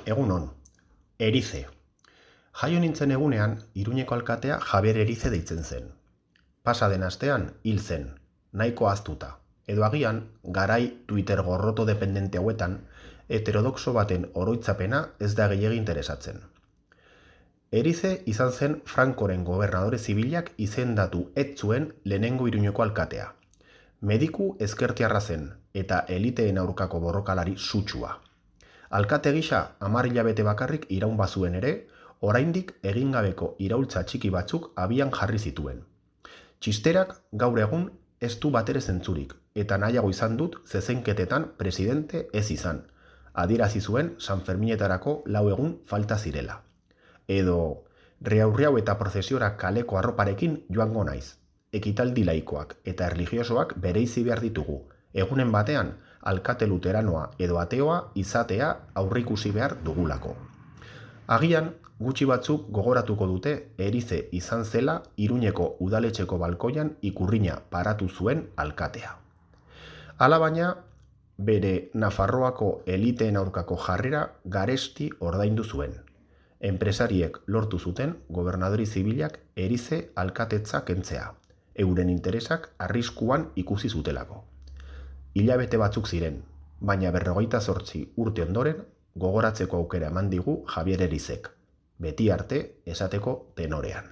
Egunon, Erize. Jaio nintzen egunean, Iruñeko alkatea Javier Erize deitzen zen. Pasa den astean hil zen, nahiko ahaztuta. Edo agian, garai Twitter gorroto dependente hauetan, heterodoxo baten oroitzapena ez da gehiegi interesatzen. Erize izan zen Francoren gobernadore zibilak izendatu ez zuen lehenengo Iruñeko alkatea. Mediku ezkertiarra zen eta eliteen aurkako borrokalari sutsua. Alkate gisa 10 hilabete bakarrik iraun bazuen ere, oraindik egingabeko iraultza txiki batzuk abian jarri zituen. Txisterak gaur egun ez du batere zentzurik, eta nahiago izan dut zezenketetan presidente ez izan. Adierazi zuen Sanferminetarako 4 egun falta zirela. Edo, riaurriau eta prozesiora kaleko arroparekin joango naiz. Ekitaldi laikoak eta erlijiosoak bereizi behar ditugu. Egunen batean, alkate luteranoa edo ateoa izatea aurrikusi behar dugulako. Agian, gutxi batzuk gogoratuko dute Erize izan zela Iruñeko udaletxeko balkoian ikurrina paratu zuen alkatea. Alabaina, bere Nafarroako eliteen aurkako jarrera garesti ordaindu zuen. Enpresariek lortu zuten gobernadori zibilak Erize alkatetza kentzea, euren interesak arriskuan ikusi zutelako. Hilabete batzuk ziren, baina 58 urte ondoren gogoratzeko aukera eman digu Javier Erizek, beti arte esateko tenorean.